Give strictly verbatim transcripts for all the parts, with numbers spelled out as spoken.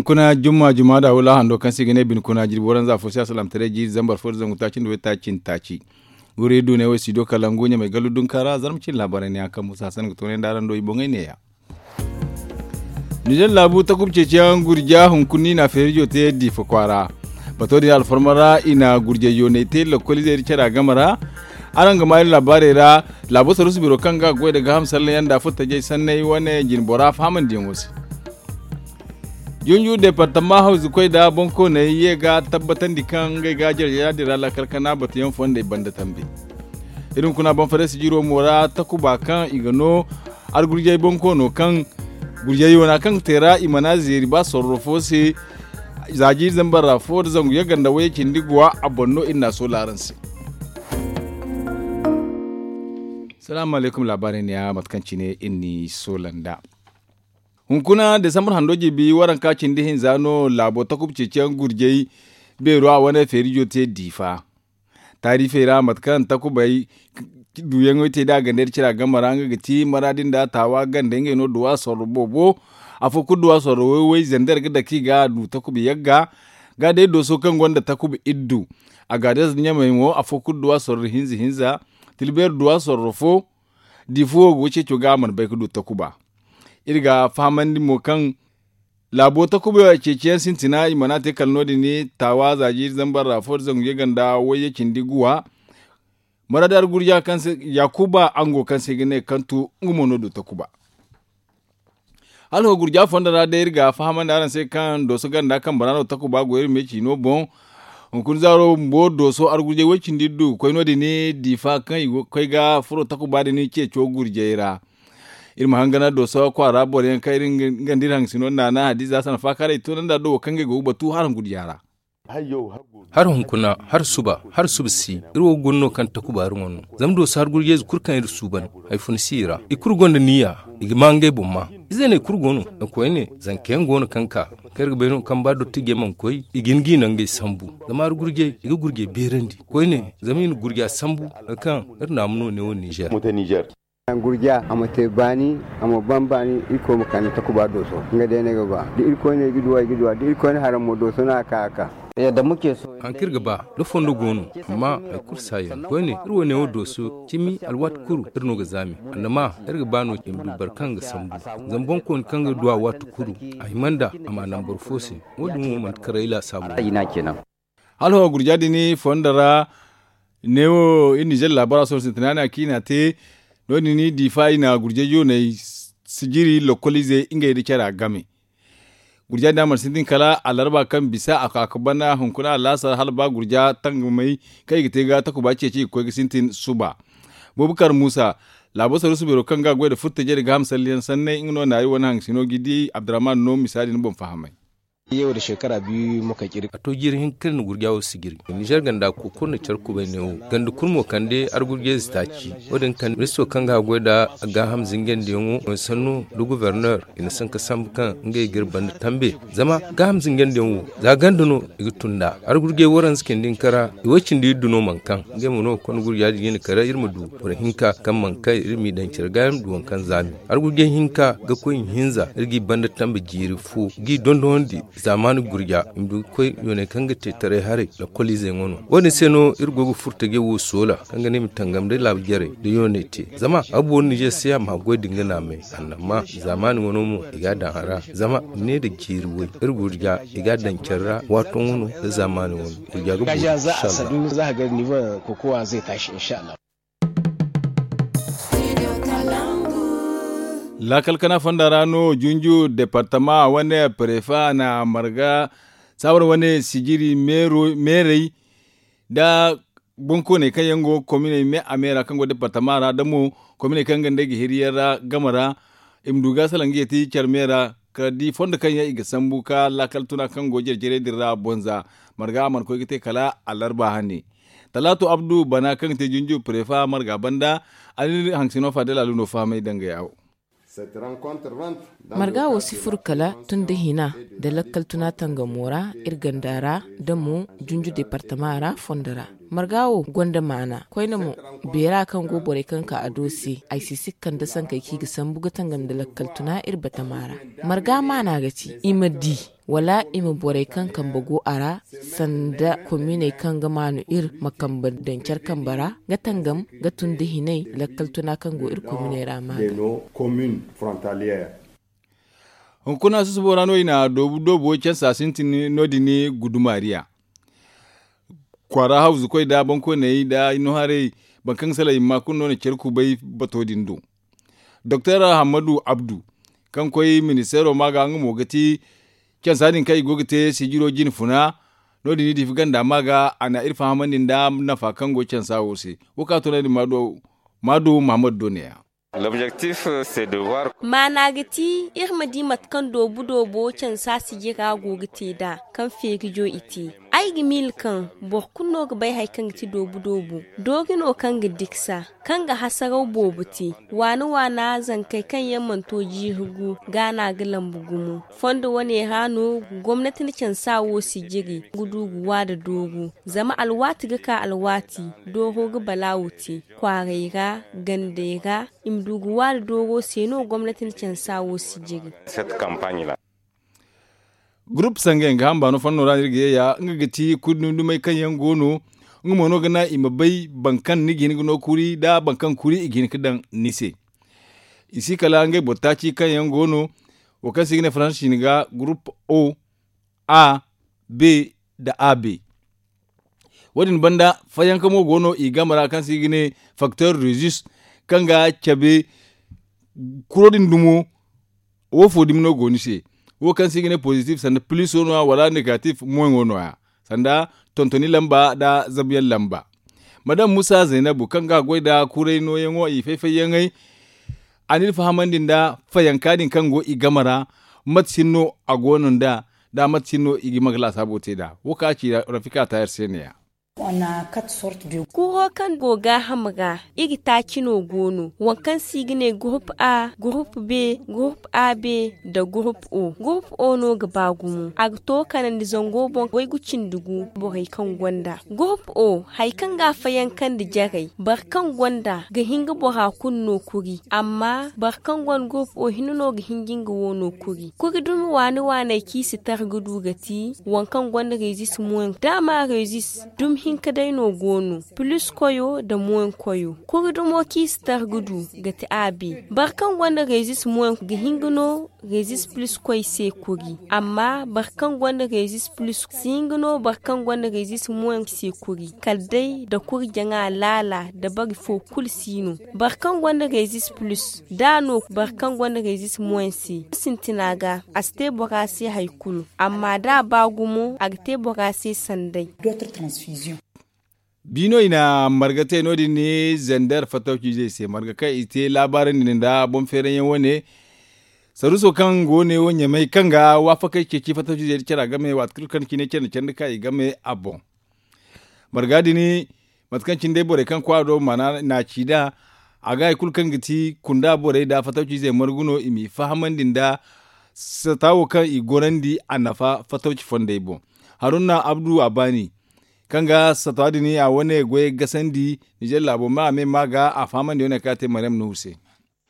Kuna jumma jumma da wula hando kaŋ se i ga ne bine kuna jirbi waranza fo se a salaamtaray jiiri zambar fo da zangu taaci nda waytaaci nda taaci. Wuri du ne wo studio kalangu ɲamay gallu dunka ra zarma cine laabaarey ne yaŋ kaŋ musa hassan ga toonay nda araŋ do i boŋey neeya. Nizer laabu takuba ceeciyaŋ gurja hunkuna i na feerijo te diifa kwaara. Bato din alfarma ra i na gurjay yoonay te lakkoliizey da cara game ra. Araŋ ga maa iri laabaarey ra. Laabo saruusu biro kaŋ ga goy nda gaaham sallayaŋ nda furtajey sanney wane jinbora fahamandiyaŋo se. Junju departama hawzu koy nda boŋkooney ye ga tabbatandi kaŋ ngey ga jarjara din ra laakal kana batuyaŋ fondey banda tambe. Iri hunkuna boŋ farey sijiro mo ra takuba kaŋ i ga no argurjay boŋkoono kaŋ gurjay yoona kaŋ ga te ra i mana zeeri ba sorro fo se. Za jiiri zambar ra fo da zangu yagga nda wayye cindi guwa a boŋ no iri na a soola araŋ se. Salaamu alaykum laabaarey neeya mate kaŋ cine iri n'i soola nd'a. Hunkuna desambar hando jiibi waranka cindi hinza no laabo takuba ceeciyaŋ gurjay beero a wane feerijo te diifa. Taarifey ra mate kaŋ takubey duyaŋey te da a gandey da cira game ra nga ga ti maraadi nda taawa gandey ngey no duwa sorro boobo. Afo kulu duwa sorro way-way zander ga dake i ga a du takuba yagga. Ga day dooso kaŋ gonda takuba iddu a ga dees ɲamey mo afo kulu duwa sorro hinza hinza. Tilbeeri duwa sorro fo. Di fo wo go ceeco ga a mana bay ga du takuba. Iri ga fahamandi mo kaŋ laabo takuba ceeciyaŋ sintina i mana te kala no- din taawa za jiiri zambar ra fo da zangu yagga nda wayye cindi guwa. Maraadi argurja kaŋ se yakuba ango kaŋ se i ga ne kantu nga mo no du takuba. Hala ho gurja fondo ra day iri ga fahamandi araŋ se kaŋ dooso ganda kambe ra no takuba go iri me ciino boŋ. Hunkuna zaaro bumbo dooso argurjay way cindi du ga koy no- din diifa kaŋ i go ga koy ga furo takuba din ceeco gurjay ra. Iri ma hangan dooso kwaara boro yaŋ kaŋ iri nga nda iri haŋgasino naana hadiza sana faakaaray tunandi a do wo kaŋ ngey go ga batu haraŋ gurja ra. Hala hunkuna hala suba hala suba si iri wo ga guna no kaŋ takuba iri ŋwa no. Zama dooso hari gurjayze kulu kaŋ iri suuban hari funa si i ra i kulu gonda niya. I ga ma ngey boŋ ma izeeney kulu go no. Koyne zanka yaŋ go no kaŋ ka kaŋ iri ga bay no kaŋ ba dottijey mana koy i ga hin ga i nangey sambu. Zama hari gurjay i ga gurjay beerandi koyne zama i na gurja sambu hari kaŋ iri naamu no neewo ninzeer. Gurja a ma te baani a ma ban baani. Irkoy ma kande takuba dooso nga day no ay ga ba da irkoy no ay ga duwa ay ga duwa da irkoy no haraŋ mo dooso no a ka a ka. Haŋ kaŋ iri ga ba da fondo go no amma hari kulu si a yaŋ koyne iri wo neewo dooso cimi alwaati kulu iri no ga zaami. Annama iri ga ba no i ma du boro kaŋ ga sambu zama boŋkooni kaŋ ga du a waati kulu a hima nd'a a ma a naŋ boro fo se. Wo- din wo manti karay laasaabu no. Hala ho gurja din fondo ra neewo iri ninzeer laabara sohõ sintina no- din a kaŋ i n'a te. No- din diifa i na gurjay jooney sijiri lokkoliizey ngey nda care a game. Gurja din a mana sintin kala alarba kaŋ bisa a ka ga bana hunkuna alaasar hala ba gurja tangamey kaŋ i ga te ga takuba ceeci i ga koy ga sintin suba. Bubakar muusa laabo saruusu beero kaŋ ga goy nda furtajey nda gaaham salliyaŋ sanney nga no naari wane haŋgasino ga i di abdurrahman no misa din boŋ fahamay. A to jiiri hinka kaŋ iri na gurja wo sijiri ninzeer ganda kookoro nda care kubay neewo ganda kulu mo kande argurjayze taaci. Wo- din kande ministiro kaŋ ga a goy nda gaaham zinjandiyaŋo sanno nda guverner i na sanka sambu kaŋ ngey ga iri banda tambe. Zama gaaham zinjandiyaŋ wo za ganda no i ga tun nd'a argurjay waranza cindi hinka ra i way cindi iddu no mana kaŋ ngey mo no ga konda gurja din ga i na kare iri ma du boro hinka kaŋ mana kaŋ iri m'i daŋ care ga iri ma du waŋ kaŋ zaami. Argurjay hinka ga koy ihinza iri g'i banda tambe jiiri fo g'i dondonandi zaamaani gurja i ma du ga koy yooney kaŋ ga te taray haray lakkoliizey ŋwa no. Wo- din se no iri go ga furtajey wo soola kaŋ ga ne i ma tangam day laabu jarey nda yooney te zama a booru ninzeer se a ma goy da nga naamay. Annama zaamaani ŋwa no mo i ga a daŋ a ra zama ne nda jiiri way iri gurja i ga a daŋ care ra waato ŋwa no nda zaamaani ŋwa no. Gurja ga booru inshallah. Laakal kana fonda ra no junju departama wane prefa na marga sabar wane sijiri meerey nda boŋkooney kaŋ yaŋ go kominey me a me ra kaŋ go departama ra da mo kominey kaŋ ga nd'ey ga hiriyaŋ ra game ra. I ma du ga salaŋ ga yeeti care me ra kala da i fondo kaŋ yaŋ i ga sambu ka laakal tuna kaŋ go jare-jarey din ra boŋ za marga a mana koy ga te kala alarba hane. Talaato abdu bana kaŋ ga te junju prefa marga banda a na iri haŋgasino faadel alu no fahamay dangaya wo. Marga wo si furo kala tun da hina nda lakkal tuna tangamo ra iri ganda ra da mo junju departama ra fondo ra. Marga wo gonda maana koyne mo, beera kaŋ go borey kaŋ ka a do se, ay si si ga kande sankey kaŋ i ga sambu ga tangam nda lakkal tuna iri batama ra. Marga maana ga ti i ma di, wala i ma borey kaŋ kambe go a ra, sanda kominey kaŋ ga maanu iri ma kambe daŋ care kambe ra, ga tangam ga tun da hinay lakkal tuna kaŋ go iri kominey ra ma ga. Hunkuna susubo ra no i na doobu doobo cansa sintin no- din gudumariya. Kwaara hawzu koy nda bankoyney nda i no haray, boro kaŋ ga salay i ma kulu no na care kubay bato din do. Doktor hammadu abdu, kaŋ koy ministeero ma ga nga mo ga ti cansa din kaŋ i go ga te sijiro jine funa. No- din i diifi ganda ma ga a na iri fahamandi nda nafa kaŋ go cansa wo se. Wo kaŋ a toonandi maadu muhammadu do ne- ya. Maana ga ti iri ma di mate kaŋ doobu doobo cansa sijira go ga te nd'a, kaŋ feerijo i te. Ay ga miila kaŋ boro kulu no ga bay hari kaŋ ga ti doobu doobo. Doori no kaŋ ga diksa, kaŋ ga hasaraw boobo te. Waana waana zankey kaŋ yaŋ mana to jiiri gu, ga no a ga lambu gumo. Fondo wane ra no gomnati na cansa wo sijiri ga du ga wa nda dooru. Zama alwaati ga ka alwaati, dooro ga balaawu te. Kwaaray ra, gandey ra, i ma du ga wa nda dooro se no gomnati na cansa wo sijiri. Gurup sangay nga hamba no fanno ra no iri ga ye ya nga ga ti kuri dumi dumey kaŋ yaŋ go no. Nga mo no ga naŋ i ma bay boro kaŋ ni ga hin ga no kuri nda boro kaŋ kuri i ga hin ga daŋ ni se. I si kala ngey boro taaci kaŋ yaŋ go no, wo kaŋ se i ga ne faransi cine ga gurup o, a, b, nda a b. Wo- din banda fayanka mo go no i game ra kaŋ se i ga ne, faktor resus, kaŋ ga cabe kuro din dumo. Wo fo dumi no go ni se? Wo kaŋ se i ga ne pozitif sanda piliso no- ya wala negatif moyaŋo no- ya, sanda tontoni lamba nda zabuyaŋ lamba. Madam musa zaynabu kaŋ ga goy nda kuray nooyaŋo i fay-fayyaŋey, a na iri fahamandi nda fayanka din kaŋ go i game ra, mate cine no a go no nd'a, nda mate cine no i ga hima ga laasaabo te nd'a? Wo kaŋ a ci rafika taayar se ne- ya. Kuro kaŋ go gaaham ra, iri taaci no go no, waŋ kaŋ se i ga ne gurup a, gurup b, gurup a b, nda gurup o. Gurup o no ga ba gumo, a ga to kanandi zango boŋ waygu cindi gu borey kaŋ gonda. Gurup o, hari kaŋ ga a fayankandi jarey, boro kaŋ gonda ga hin ga bora kulu no kuri. Amma boro kaŋ gonda gurup o hinne no ga hin ga nga wo no kuri. Kuri dumi waani waaney kaŋ i si tar ga du ga ti waŋ kaŋ gonda rezis moyaŋ. Daama rezis dumi hinka day no go no, pilis koyo nda moyaŋ koyo. Kuri dumo kaŋ i si tar ga du ga ti a b. Boro kaŋ gonda rezis moyaŋ ga hin ga no rezis pilis koy se kuri. Amma boro kaŋ gonda rezis pilis si hin ga no boro kaŋ gonda rezis moyaŋ se kuri, kala day nda kuri jaŋa laala nda bari fo kulu si no. Boro kaŋ gonda rezis pilis, d'a no boro kaŋ gonda rezis moyaŋ se sintina ga, a si te bora se hari kulu. Amma d'a ba gumo, a ga te bora se sanday. Bi no i na marga te no- din ni zander fatawciizey se marga kaŋ i te laabaarandi nda boŋ feeranyaŋ wane. Saruuso kaŋ go ne wo ɲamay kaŋ ga waafakey ceeci fatawciizey nda cara game waati kulu kaŋ cine care nda care nda ka i game a boŋ. Marga din mate kaŋ cine day borey kaŋ kwaara do mana n'a ci nd'a. A ga hari kulu kaŋ ga ti kunda borey nda fatawciizey margu no i m'i fahamandi nda sata wo kaŋ i gorandi a nafa fatawci fondey boŋ. Haruna abdu a baani kaŋ ga sata din a wane goyey gasandi nizer laabo ma a me ma ga a fahamandi wane kaŋ a te maryam nuhu se.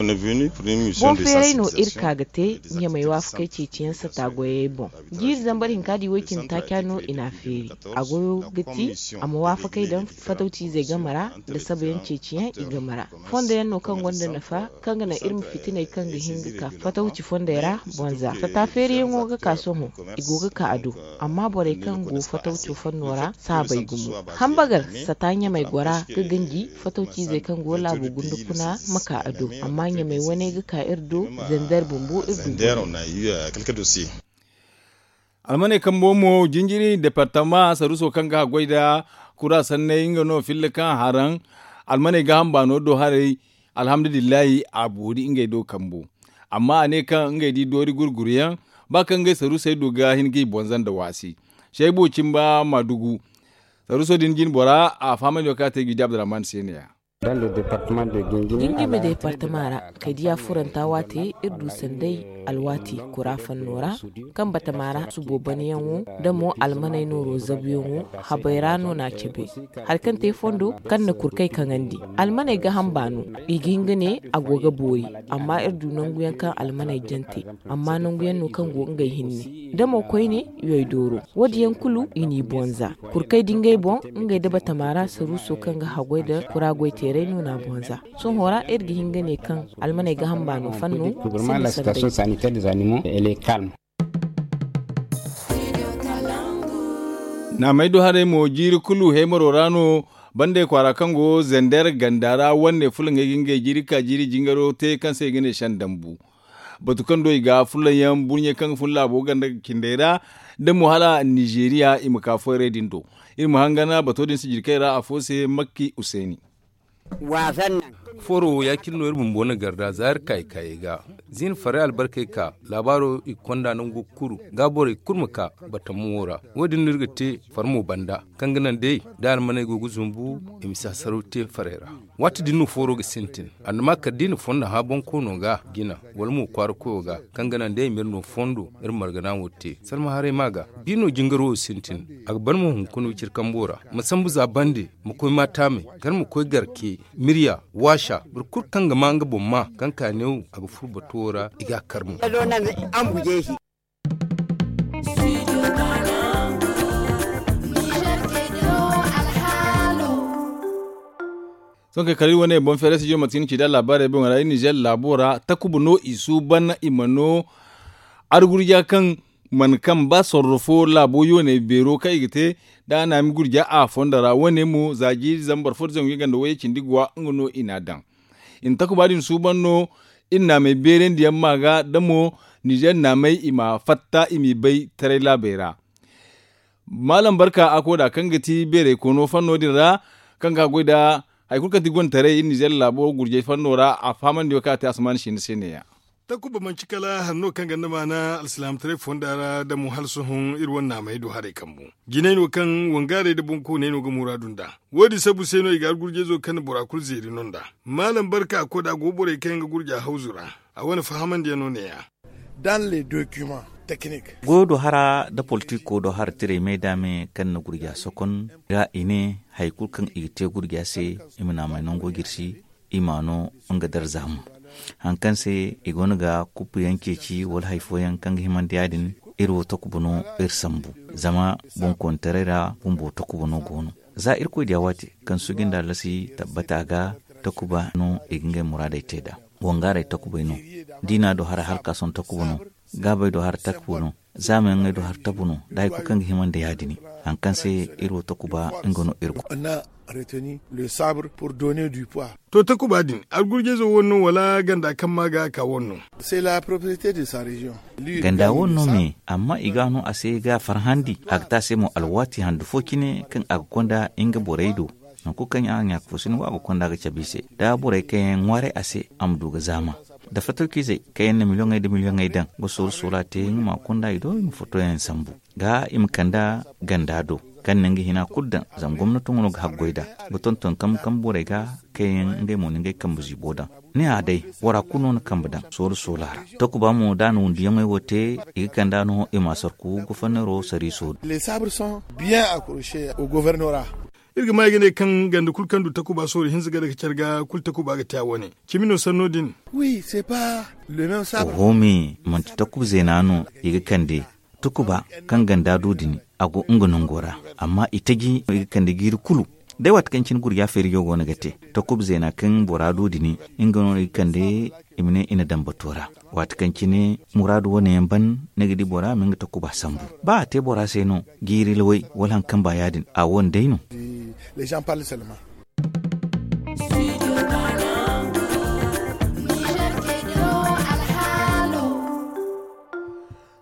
Boŋ feeray no iri ka ga te ɲamay waafakey ceeciyaŋ sata goyey boŋ. Jiiri zambar hinka di woy cindi taaca no i n'a feeri. A goyo ga ti a ma waafakey daŋ fatawciizey game ra nda sabayaŋ ceeciyaŋ i game ra. Fondo yaŋ no kaŋ gonda nafa kaŋ ga naŋ iri ma fitiney kaŋ ga hin ga ka fatawci fondey ra boŋ za sata feeriyaŋo ga ka sohõ. I go ga ka a do. Amma borey kaŋ go fatawco fanno ra saabay gumo. Hambagar sata ɲamay gora ga ganji fatawciizey kaŋ go laabo gundu kuna ma ka a do. Amma ɲamay wane ga ka iri do zender bumbo iri du. Almaney kambo mo jinjiri departama saruuso kaŋ ga haggoy nda kura sanney nga no filla kaŋ haraŋ. Almaney ga hamba no do haray. Alhamdulillahi a boori ngey do kambo. Amma a ne kaŋ ngey di doori gurguruyaŋ ba kaŋ ngey saruusey du ga hin ga i bonza nda waasi. Shaybo cimba ma dugu saruuso din jin bora a fahamandi wo kaŋ a te ga i di abdurrahman se ne ya. Gingime deepartama ra, kaydiya furanta waate iri du sanday alwaati kura fanno ra, kaŋ batama ra subo banayaŋo nda mo almaney nooro zabuyaŋo, habay ra no n'a cabe. Hari kaŋ te fondo kaŋ na kurkay kaŋandi, almaney ga hamba no. I ga hin ga ne a go ga boori, amma iri du nanguyaŋ kaŋ almaney jante, amma nanguyaŋ no kaŋ go ngey hinne, da mo koyne yoy dooro. Wo- din yaŋ kulu i n'i boŋ za kurkay da ngey boŋ, ngey da batama ra saruuso kaŋ ga haggoy nda kura goy teeray no n'a boŋ za. Sohõ ra iri ga hin ga ne kaŋ almaney ga hamba no fanno. Naamey do haray mo jiiri kulu heemaro ra no. Bandey kwaara kaŋ go zander ganda ra wane fulaŋey ga ngey jiiri ka jiiri jingaro te kaŋ se i ga ne sendambu. Batu kaŋ do i ga fulaŋ yaŋ burɲe kaŋ ga fun laabo ganda cindey ra, da mo hala nizeeriya i ma ka foyray din do. Iri ma hangan bato din sijirkey ra afo se makki useeni. Fooro wo ya- cine no iri bumbo na garda za iri kaayey kaayey ga. Ziina farey albarkey ka laabaaro i ga konda nango kulu ga borey kulu ma ka batama wo ra. Wo- din no iri ga te farmo banda kaŋ ga naŋ day da almaney go ga zumbu i ma si hasaraw te farey ra. Waati din no fooro ga sintin. Annama kala da i na fondo hã bonkoono ga jina, wala mo kwaara koyo ga, kaŋ ga naŋ day i ma iri no fondo iri margana wo te salma haray ma ga. Biino jingaro wo sintin. A ga ban mo hunkuna wiciri kambo ra, ma sambu za bande, ma koy maataamey, kala ma koy garke, mirya, waasa. Boro kulu kaŋ ga maa nga boŋ maa kaŋ ka neewo a ga furo bato wo ra i ga a kar mo. Sohõ kay kala iri wane boŋ feeray studio mate kaŋ ni ci da laabaarey boŋ ra iri nizeer laabo ra takuba no i suuban i ma no. Argurja kaŋ mana kaŋ ba sorro fo laabo yooney beero kaŋ i ga te da a naami gurja a fondo ra wane mo za jiiri zambar fo da zangu ganda wayye cindi guwa nga no i n'a daŋ. I na takuba din suuban no. Iri naamey beerandi yaŋ ma ga da mo nizeer naamey i ma fatta i m'i bay taray laabey ra. Maalam barka a koda kaŋ ga ti beeray koono fanno din ra, kaŋ ga goy nda hari kulu kaŋ ti gonda taray iri nizeer laabo gurjay fanno ra a fahamandi wo kaŋ a te asamaani sinda se neeya. Takuba manci kala hari no kaŋ ganda maana alsilaamataray fonda ra da mo hala sohõ iri wane naamey do haray kambu. Jinay no kaŋ wangaarey nda bonkooney no ga muraadu nd'a. Wo- din sabu se no i ga argurjayzo kaŋ na bora kulu zeeri no nd'a. Maalam barka a koda go borey kaŋ yaŋ ga gurja hawzu ra. A wane fahamandiyaŋ no neeya. Goyo do hara nda politiko do hara tiray me da me kaŋ na gurja sokon ga i ne hari kulu kaŋ i ga te gurja se i ma naamay nango jirsi. I ma no nga darza mo hari kaŋ se i go no ga kuppu yaŋ ceeci wala hari fooyaŋ kaŋ ga himandi ya- din. Iri wo takuba no iri sambu zama boŋkoonitaray ra bumbo takuba no go no. Za irkoy diya waati kaŋ suuji nda allasi tabbata ga takuba no i ga ngey muraadey te nd'a. Wangaaray takubay no. Diina do hara halkaason takuba no. Gaabay do hara takuba no. Zaamayaŋey do hara tabu no da hari kulu kaŋ ga himandi ya- din hari kaŋ se iri wo takuba nga no iri go. To takuba din argurjayzo wane no wala ganda kaŋ ma ga a ka wane no? Ganda wane no me amma i ga a no a se ga a farhandi a ga te a se mo alwaati handu fo cine kaŋ a ga konda nga borey do. Nangu kulu kaŋ a ɲaaka fo si no wo a ga konda ga cabe i se da borey kaŋ yaŋ ŋwaaray a se a ma du ga zaama. Da fatawciizey kaŋ yaŋ na miliyoŋey nda miliyoŋey daŋ ga sooru soola te nga ma konda i do i ma fotoyaŋ sambu ga i ma kand'a ganda do kaŋ na nga hina kulu daŋ. Zama gomnato nga no ga haggoy nd'a ga tonton kambe kambe borey ga kaŋ yaŋ ngey mo na ngey kambe ziibo daŋ. Ni hã day bora kulu no na kambe daŋ sooru soola ra. Takuba mo da a na wundiyaŋey wo te i ga kand'a no i ma a sorku goforneero sariiso do. Iri ga maa i ga ne kaŋ ganda kulu kaŋ du takuba soori hinza ga daga care ga kulu takuba ga te a wane. Cimi no sanno din. Oho me manti takuba zeena no i ga kande. Takuba kaŋ ganda du din a go nga nango ra amma i taji no i ga kande jiiri kulu. Day waati kaŋ cine gurja feerijo go no ga te takuba zeena kaŋ bora du din nga no i ga kande. I ma ne i na daŋ bato ra waati kaŋ cine muraadu wane yaŋ ban ni ga di bora ma nga takuba sambu ba a te bora se no. Jiiri laway wala hari kaŋ ba ya- din a wo ni day no.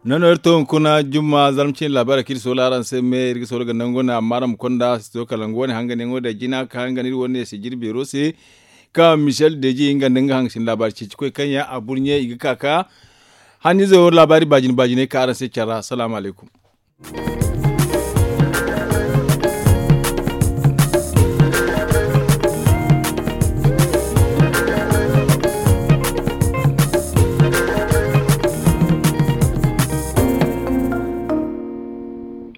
Nono iri to hunkuna jumma zarma cine laabaarey kaŋ iri soola araŋ se me iri ga soola ga nango ne amma araŋ ma konda si to kala nga wane hanganyaŋo da jina ka hangan iri wane se jirbeero se. Kaŋ michel deji nga nda nga haŋ ga sinda laabaari ceeci koy kaŋ yaŋ a burɲe i ga ka ka hanniize wo laabaari baajine baajiney ka araŋ se care ra salaamu alaykum.